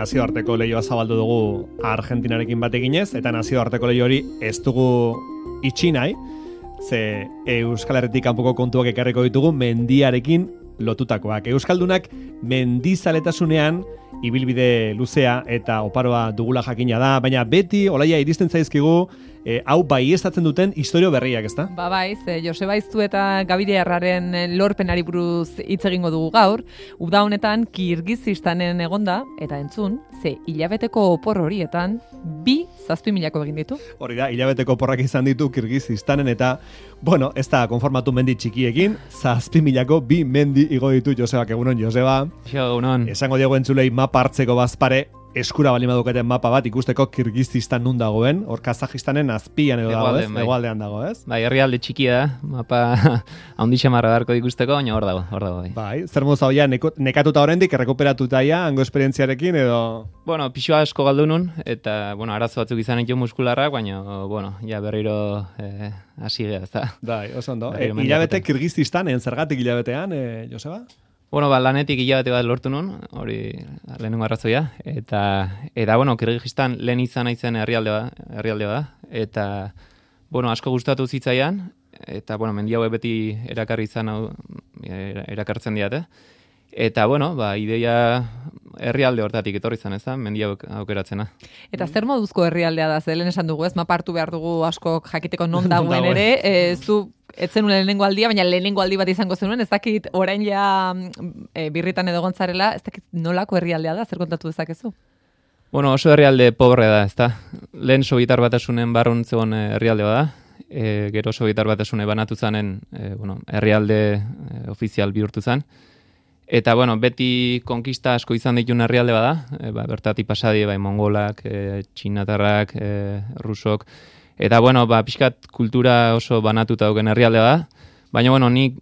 nazioarteko lehioa zabaldu dugu Argentinarekin bateginez, eta nazioarteko lehio hori ez dugu itxi nahi, ze Euskal Herritik kanpoko kontuak ekarriko ditugu mendiarekin lotutakoak. Euskaldunak mendizaletasunean ibilbide luzea eta oparoa dugula jakina da, baina beti olaia iristen zaizkigu hau baieztatzen duten istorio berriak, ezta? Ba bai, Joseba Iztu eta Gabire Erraren lorpenari buruz hitz egingo dugu gaur. Uda honetan Kirgizistanen egonda eta entzun, ze hilabeteko opor horietan 7.000 egin ditu. Hori da, hilabeteko oporrak izan ditu Kirgizistanen eta, bueno, ez da konformatu mendi txikiekin, 7.000 bi mendi igo ditu Josebak. Egunon, Joseba. Egunon. Esango diego entzulei mapa hartzeko bazpare, eskura bali maduketen mapa bat ikusteko Kirgizistan nun dagoen, hor Kazajistanen azpian edo dago, ez? Egoaldean dago, ez? Bai, herrialde txikia da, mapa handi xamarra beharko ikusteko, baina hor dago. Bai, zer moz hau ja, nekatuta oraindik errekuperatuta ja, hango esperientziarekin edo... Bueno, pixua asko galdu nun, eta, bueno, arazo batzuk izan ditu muskularrak, baina, bueno, ja berriro hasi geha, ez da. Bai, oso ondo. Hilabete Kirgizistanen, zergatik hilabetean, Joseba? Bueno, lanetik hilabete bat lortu nun, hori lehenengo arrazoia, eta bueno, Kirgizistan lehen izan naizen herrialde da, eta, bueno, asko gustatu zitzaian, eta, bueno, mendi hauek beti erakartzen diate, eta, bueno, ideia herrialde hortatik etorri izan, ez da, mendi hauek aukeratzena. Eta zer moduzko herrialdea da, ze lehen esan dugu, ez, mapa hartu behar dugu asko jakiteko non dagoen ere, zu etzen lehenengo aldia, baina lehenengo aldi bat izango zenuen, ez dakit orain ja birritan edo gontzarela, ez dakit nolako herrialdea da, zer kontatu dezakezu? Bueno, oso herrialde pobre da, ez da. Lehen Sobietar Batasunen barrun zegoen herrialde da, gero Sobietar Batasune banatu zanen herrialde ofizial bihurtu zen. Eta, bueno, beti konkista asko izan ditun herrialde bada, bertatik pasadi, mongolak, txinatarrak, rusok, eta, bueno, pixkat kultura oso banatuta dauken herrialde da, baina, bueno, nik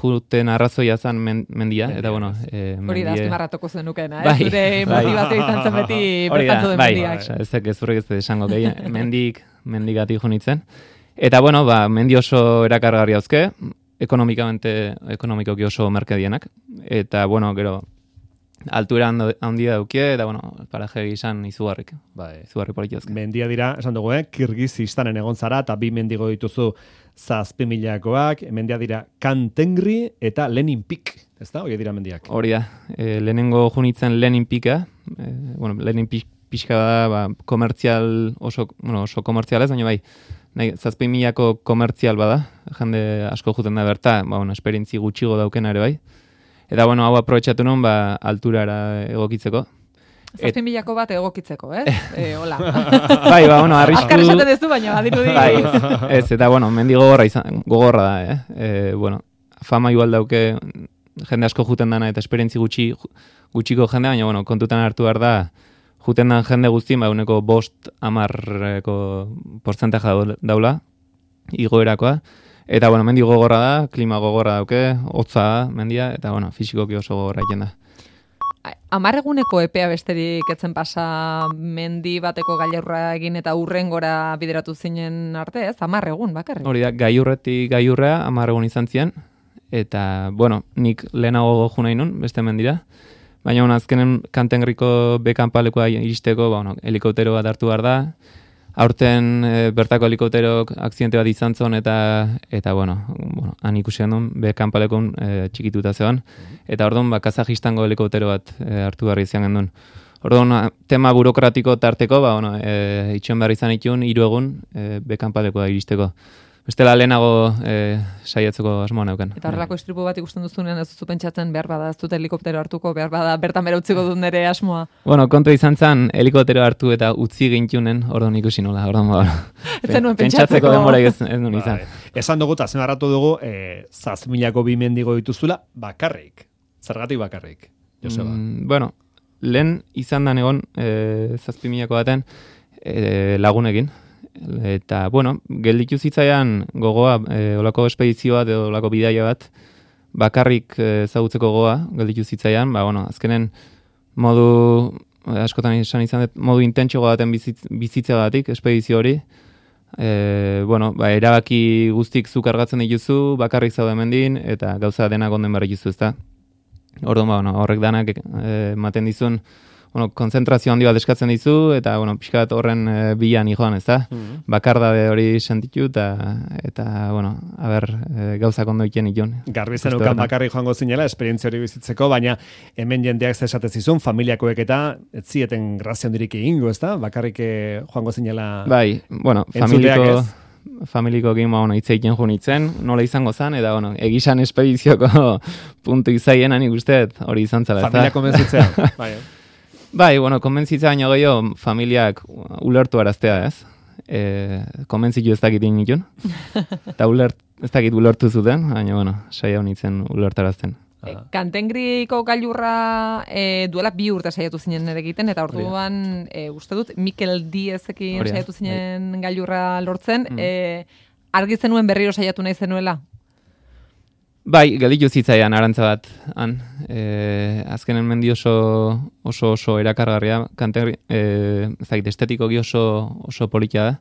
juten arrazoia zen mendia, eta, bueno... Hori da, azpimarratuko zenukena, zure motivazio izan zen beti bertantzu den mendiak. Ez zurrek ez esango, mendigatik junitzen. Eta, bueno, mendi oso erakargarri hauzke, ekonomikoki oso merkedienak, eta, bueno, gero, altura handia daukie, eta, bueno, paraje izan izugarrik politiozke. Mendia dira, esan dugu, Kirgizistanen egon zara, eta 2 mendigo dituzu 7.000koak, mendia dira Kantengri eta Lenin Pik, ez da? Hori dira mendiak. Hori da, lehenengo junitzen Lenin Pika, Lenin pixka da, komertzial, oso komertzial ez, baina bai, 7.000ko komertzial bada, jende asko juten da berta, esperientzi gutxigo daukena ere bai. Eta, bueno, hau aprobetxatu nun, alturara egokitzeko. 7.000ko bat egokitzeko, ez? Hola. Bai, arrisku... Azkar esaten ez du, baina badirudi. Bai, ez, eta, bueno, mendi gogorra da, fama igual dauke, jende asko juten dana, eta esperientzi gutxiko jende, baina, bueno, kontutan hartu behar da, juten dan jende guztien, uneko 5-10% portzentaja daula, igoerakoa. Eta, bueno, mendi gogorra da, klima gogorra dauke, hotza da, mendia, eta, bueno, fisikoki oso gogorra egin da. 10 eguneko epea besterik etzen pasa mendi bateko gailurra egin eta urrengora bideratu zinen arte, ez? 10 egun bakarrik. Hori da, gailurretik gailurrea 10 egun izan ziren, eta, bueno, nik lehenago jo nahi nun, beste mendira, baina, azkenen Kantengriko bekanpalekoa iristeko, helikoptero bat hartu behar da, aurten bertako helikopterok akzidente bat izan zon eta bueno, han ikusi handun bekanpalekon txikituta zegoen, eta orduan Kazajistango helikoptero bat hartu behar izan gendun. Orduan, tema burokratiko tarteko, itxon behar izan itun, 3 egun bekanpalekoa iristeko. Bestela lehenago saiatzeko asmoa neuken. Eta horrelako istripu bat ikusten duzunean ez duzu pentsatzen behar bada, ez dut helikoptero hartuko, behar bada, bertan bera utziko dut nire asmoa. Bueno, kontu izan zen, helikoptero hartu eta utzi gintunen, orduan ikusi nola, pentsatzeko denbora ez nuen izan. Esan dugu, eta zenarratu dugu, 7.000ko 2 mendigo dituzula, bakarrik. Zergatik bakarrik, Joseba? Bueno, lehen izan da egon 7.000ko baten lagunekin. Eta, bueno, gelditu zitzaian gogoa, olako espedizio bat edo olako bidaia bat, bakarrik ezagutzeko gogoa, gelditu zitzaian, azkenen modu, askotan izan modu intentxo baten bizitzagatik, espedizio hori, erabaki guztik zu kargatzen dituzu, bakarrik zaude mendin, eta gauza denak onden behar dituzu, ezta. Orduan, horrek danak ematen dizun, bueno, konzentrazio handi bat eskatzen dizu, eta, bueno, pixka bat horren bilan joan, ez da? Bakardade hori sentitu, eta bueno, gauzak ondo iken ikon. Garbi zenukan bakarrik joango zinela, esperientzia hori bizitzeko, baina hemen jendeak zesatezizun, familiakoek eta ez zieten grazia hondirik egingo, ez da? Bakarrik joango zinela... Bai, bueno, familikoekin hitz egiten jo nintzen, nola izango zen, eta bueno, egizan espedizioko puntu izaien nik uste, hori izan zela. Familia konbentzitzea. Bai, bueno, konbentzitzea baino gehiago familiak ulertu araztea, ez? Konbentzitu ez dakit initun. Eta ez dakit ulertu zuten, baina, bueno, saia honitzen ulertarazten. Kantengriko gailurra duela 2 urte saiatu zinen ere egiten, eta orduan uste dut Mikel Diezekin saiatu zinen gailurra lortzen. Argi zenuen berriro saiatu nahi zenuela? Bai, gelditu zitzaian arantza bat. Azkenen mendi oso erakargarria, Kantengri, ez dakit, estetikoki oso politia da.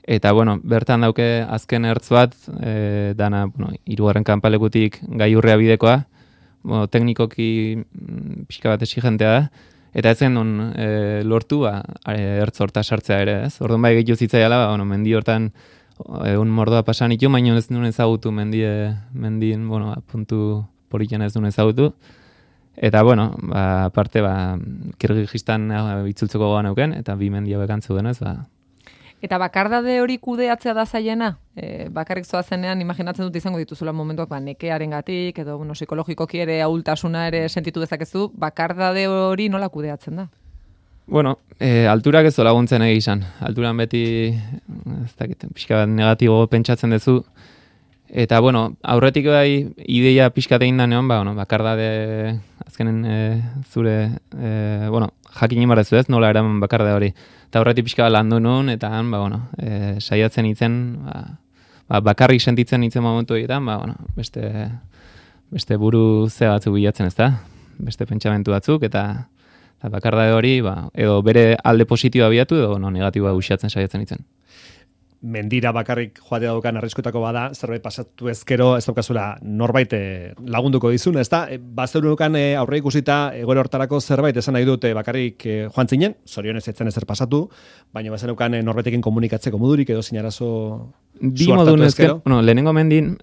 Eta, bueno, bertan dauke azken ertz bat, dana, bueno, 3. kanpalekutik gailurrea bidekoa, bueno, teknikoki pixka bat exigentea da, eta ez zen lortu ertz horta sartzea ere, ez? Orduan bai gehiago zitzaiala, bueno, mendi hortan egun mordoa pasan itu, baina ez duen ezagutu mendien, bueno, puntu politian ez duen ezagutu. Eta, bueno, aparte, Kirgistan itzultzeko gogan euken, eta 2 mendia bekantzu denez, Eta bakardade hori kudeatzea da zaiena? Bakarrik zoazenean, imaginatzen dut izango dituzula momentuak, nekearengatik edo psikologikoki ere ahultasuna ere sentitu dezakezu, bakardade hori nola kudeatzen da? Bueno, alturak ez laguntzen izan. Alturan beti, ez dakit, pixka bat negatibo pentsatzen duzu. Eta, bueno, aurretik bai ideia pixka egin da neon, bakardade azkenen zure, jakin imarrezu ez, nola eraman bakardade hori. Eta horretik pixka landu nuen, eta saiatzen itzen, bakarrik sentitzen itzen momentu egiten, beste buru ze batzuk bilatzen ez da, beste pentsamentu batzuk, eta bakardade hori, edo bere alde positiboa biatu, edo negatiboa usiatzen saiatzen itzen. Mendira bakarrik joatea daukan arriskutako bada, zerbait pasatu ezkero, ez daukazula norbait lagunduko dizun, ez da? Bazerunukan aurre ikusita egoera hortarako zerbait esan nahi dute bakarrik joan zinen, zorionez etzen ezer pasatu, baina bazerunukan norbaitekin komunikatzeko modurik edo zinarazo bi modun ezkero. Lehenengo mendin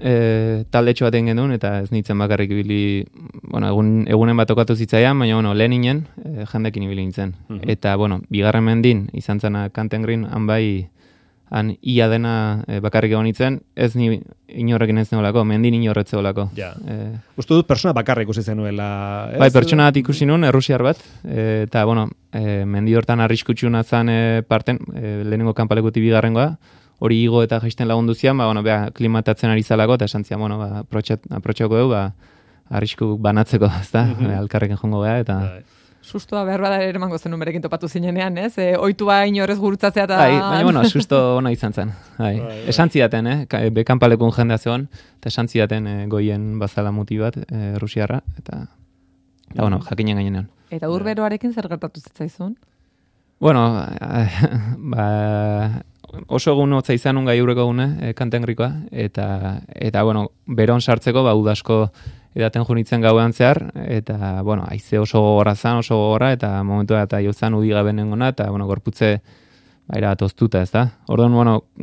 taldetxo baten genuen, eta ez nintzen bakarrik ibili, egunen bat okatu zitzaian, baina leheninen jendekin ibili nintzen. Eta, bigarren mendin, izan zena Kantengrin, han ia dena bakarrik egon nintzen, ez ni inorrekin ez neolako, mendin inorretzeolako. Ja. Uste dut persona bakarrik ikusi zenuela. Bai, pertsona bat ikusi nuen, errusiar bat, eta, mendi hortan arriskutxuna zen parten, lehenengo kanpalekutik bigarrengoa, hori igo eta jaisten lagundu zian, klimatatzen ari zalako, eta esan zian, aprotxako dugu, arrisku banatzeko, ez da, alkarrekin jongo geha, eta... Sustoa behar bada ere emango zenun berekin topatu zinenean, ez? Oitua inorez gurutzatzea eta... Baina, susto ona izan zen. Esan zidaten, bekanpalekun jendea zegoen, eta esan zidaten goien bazala muti bat, rusiarra, eta jakinen gainean. Eta urberoarekin zer gertatu zitzaizun? Oso egun hotza izan un gaiurreko gune, Kantengrikoa, eta beron sartzeko, udasko edaten junitzen gauean zehar, eta, haize oso gogorra zan, oso gogorra, eta momentu eta jozan udigaben nengona, eta, gorputze, bat oztuta, ez da? Orduan,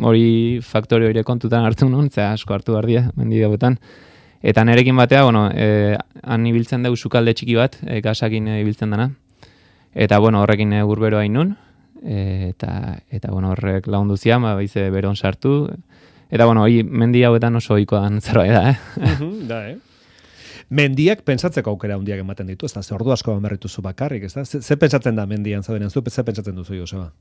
hori faktorio hori kontutan hartu nuen, asko hartu bardia, mendi gauetan. Eta nerekin batea, han ibiltzen dugu sukalde txiki bat, gasakin ibiltzen dana. Eta, horrekin urberoa inun, eta horrek lagundu zian, baize beron sartu. Eta, hori mendi hauetan oso ohikoan zerbait da, Mendiak pentsatzeko aukera handiak ematen ditu, ez da, ordu asko berrituzu bakarrik, ez da? Ze pentsatzen da mendian zaudenen zu, ze pentsatzen duzu, Joseba?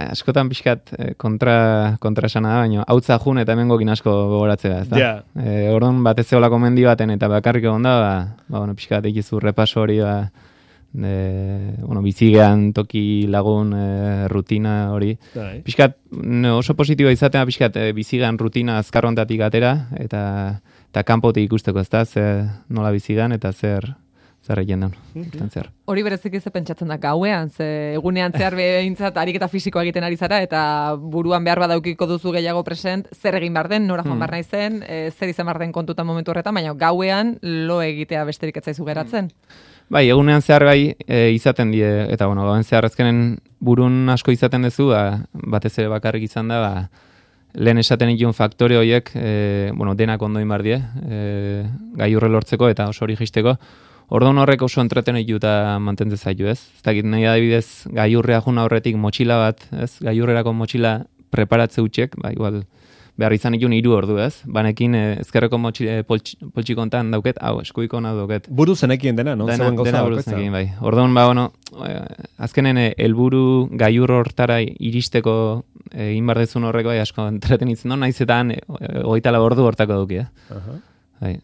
Askotan pixkat kontra esana da, baina hautza jun eta hemengokin asko gogoratzea, ez da? Yeah. Orduan bat ez zeolako mendi baten eta bakarrik egon da, pixkat egizu repaso hori, bizigean toki lagun rutina hori. Pixkat oso positiboa izatea, pixkat bizigean rutina azkarrontatik atera, eta kanpotik ikusteko, ez da, nola bizigan eta zer zer egin daun, urtean zehar. Hori bereziki ze pentsatzen da gauean, ze egunean zehar behintzat ariketa fisikoa egiten ari zara, eta buruan behar badaukiko duzu gehiago present, zer egin behar den, nora joan behar naizen, zer izan behar den kontutan momentu horretan, baina gauean lo egitea besterik ez zaizu geratzen. Bai, egunean zehar bai izaten die, eta bueno, gauen zehar azkenen burun asko izaten duzu, batez ere bakarrik izan da, lehen esaten ikun faktore horiek, denak ondoin bar die, gailurre lortzeko eta oso hori jisteko. Orduan horrek oso entreten ditu eta mantentzen zaitu, ez? Ez dakit nahi adibidez gailurrea juna horretik motxila bat, ez? Gailurrerako motxila preparatze utxek, igual behar izan ikun 3 ordu, ez? Banekin ezkerreko poltsikontan dauket, eskuiko nahi dauket. Buru zenekien dena, no? Dena buru zenekien, bai. Orduan, azkenen helburu gailur hortara iristeko egin bar dezun horreko, asko entreten itzen dut, naiz eta 24 ordu hortako duki, Bai.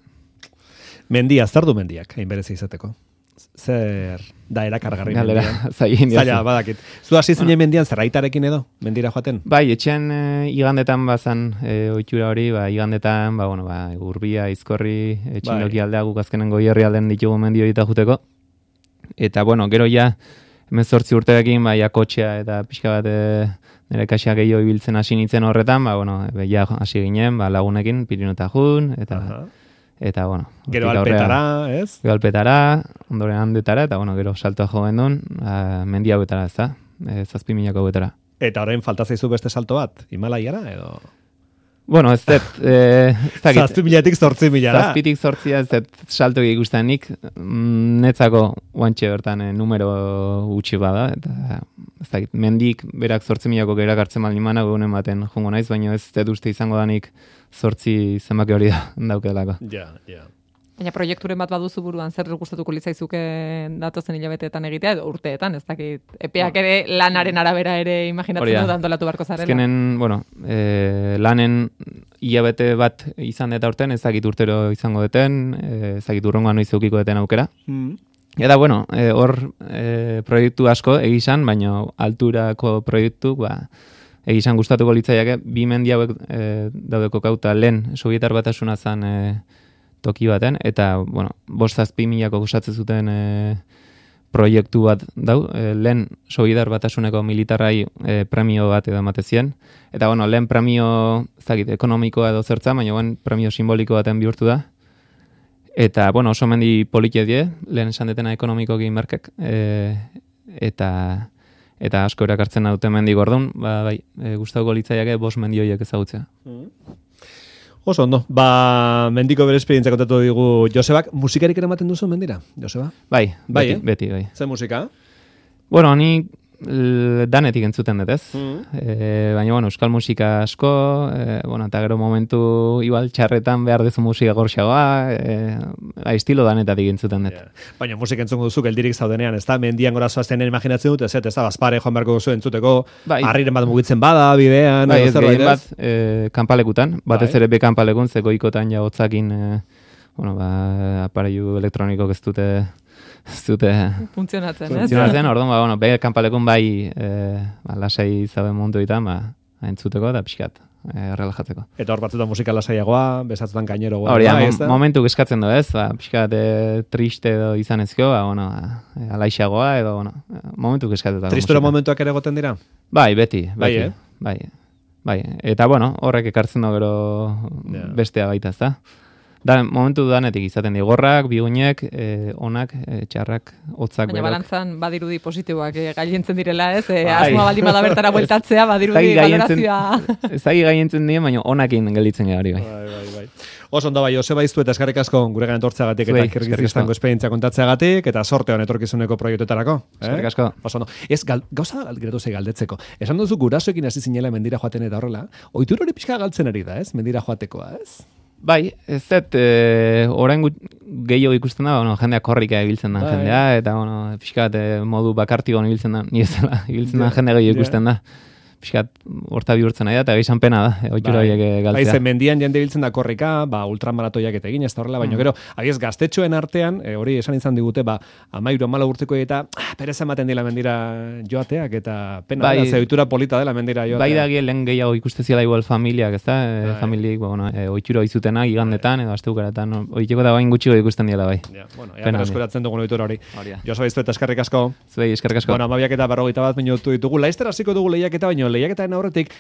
Mendia, zer du mendiak, hain berezi izateko? Zer da erakargarri mendian? Zaila, badakit. Zu hasi zinen mendian zerraitarekin edo, mendira joaten? Bai, etxean igandetan bazan ohitura hori, igandetan, Urbia, Izkorri, Txindoki aldea guk azkenen Goierri alden ditugu mendi hori juteko. Eta, gero ja, 18 urterekin, kotxea eta pixka bat nire kaxia gehiago ibiltzen hasi nintzen horretan, ja hasi ginen, lagunekin, Pirinota jun, eta gero alpetara, ez? Gero alpetara, ondoren handetara, eta gero saltoa jo gendun, mendi hauetara, ez da? 7.000 hauetara. Eta orain falta zaizu beste salto bat, Himalaiara, edo? Ez dut, 7.000-tik 8.000-ara. 7.000-tik 8.000 ez dut salto ikusten nik, netzako guantxe bertan numero gutxi bada, eta ez dakit, mendik berak 8.000-ako gerak hartzen baldin mana, egunen baten jongo naiz, baina ez dut uste izango danik 8 zenbaki hori daukelako. Ja. Baina proiekturen bat baduzu buruan, zer gustatuko litzaizuke datozen hilabeteetan egitea, edo urteetan, ez dakit, epeak ere lanaren arabera ere imaginatzen dut antolatu barko zarela. Azkenen, lanen hilabete bat izan eta urten, ez dakit urtero izango deten, ez dakit urrongoan noiz eukiko deten aukera. Eta, hor proiektu asko egizan, baina alturako proiektu, egizan gustatuko litzaiake, 2 mendi hauek daudeko kauta lehen Sobietar Batasuna zan toki baten, eta, 5.000-ako gozatzen zuten proiektu bat dau, lehen Sobietar Batasuneko militarrai premio bat edo ematezien, eta, lehen premio, ez dakit, ekonomikoa edo zertza, baina premio simboliko baten bihurtu da, eta, oso mendi politie die, lehen esan detena ekonomikoki merkek, eta asko erakartzen dute mendi gordun, gustatuko litzaiake 5 mendi horiek ezagutzea. Oso ondo, mendiko bere esperientzia kontatu digu Josebak. Musikarik eramaten duzu mendira, Joseba? Bai, beti. Zer musika? Ni danetik entzuten dut, ez? Baina, euskal musika asko, eta gero momentu igual txarretan behar dezu musika gorxagoa, estilo danetatik entzuten dut. Baina musika entzungo duzu, geldirik zaudenean, ez da? Mendian gora zoazten imaginatzen dut, ez da? Bazpare joan beharko duzu entzuteko, harriren bat mugitzen bada, bidean, ez gehien bat, kanpalekutan, batez ere be kanpalekun, zeko ikotan ja hotzakin, apareilu elektronikok ez dute funtzionatzen, orduan, be kanpalekun lasai zaben mundu ditan, entzuteko eta pixkat, relajatzeko. Eta hor batzutan musika lasaiagoa, besatzutan gaineroa. Hori, momentu eskatzen du, ez? Pixkat triste edo izan ezkio, alaixagoa edo, momentu eskatzen. Tristura momentuak ere goten dira? Bai, beti. Bai. Eta, horrek ekartzen du gero bestea baita, ez da? Momentu danetik izaten digorrak, bigunek, onak, txarrak, hotzak. Baina balantzan badirudi positiboak gailentzen direla, ez? Asmoa baldin bada bertara bueltatzea, badirudi valorazioa. Ez da gailentzen dien, baina onakin gelditzen gari, bai. Bai. Oso ondo bai, Joseba Iztu eta eskerrik asko guregan etortzeagatik eta Kirgizistango esperientzia kontatzeagatik eta sorte hon etorkizuneko proiektuetarako. Eskerrik asko. Oso ondo. Ez, gauza geratu zei galdetzeko. Esan duzu gurasoekin hasi zinela mendira joaten eta horrela, ohitura hori pixka galtzen ari da, ez? Mendira joatekoa, ez? Bai, ez dut, orain gehiago ikusten da, jendeak korrika ibiltzen da jendea, eta, pixkat modu bakartikoan ibiltzen da, ni ezela, ibiltzen da jende gehiago ikusten da. pixkat horta bihurtzen nahi da, eta gehizan pena da, ohitura horiek galtzea. Bai, ze mendian jende biltzen da korrika, ultramaratoiak eta egin, ez da horrela, baina gero, agiez gaztetxoen artean, hori esan izan digute, 13 urteko eta perez ematen dila mendira joateak, eta pena da, ze ohitura polita dela mendira joateak. Bai da lehen gehiago ikusteziela igual familiak, ez da, familiek, ohitura izutenak, igandetan, edo astebukaretan, ohiteko da bain gutxiko ikusten diela bai. Ja, bueno, ea berreskuratzen dugun ohitura hori. Josu Baiztu eta eskerrik asko. Zuei, eskerrik asko. Bueno, 12:41 minutu ditugu. Laizter hasiko dugu lehiaketa, baino lehiaketaren aurretik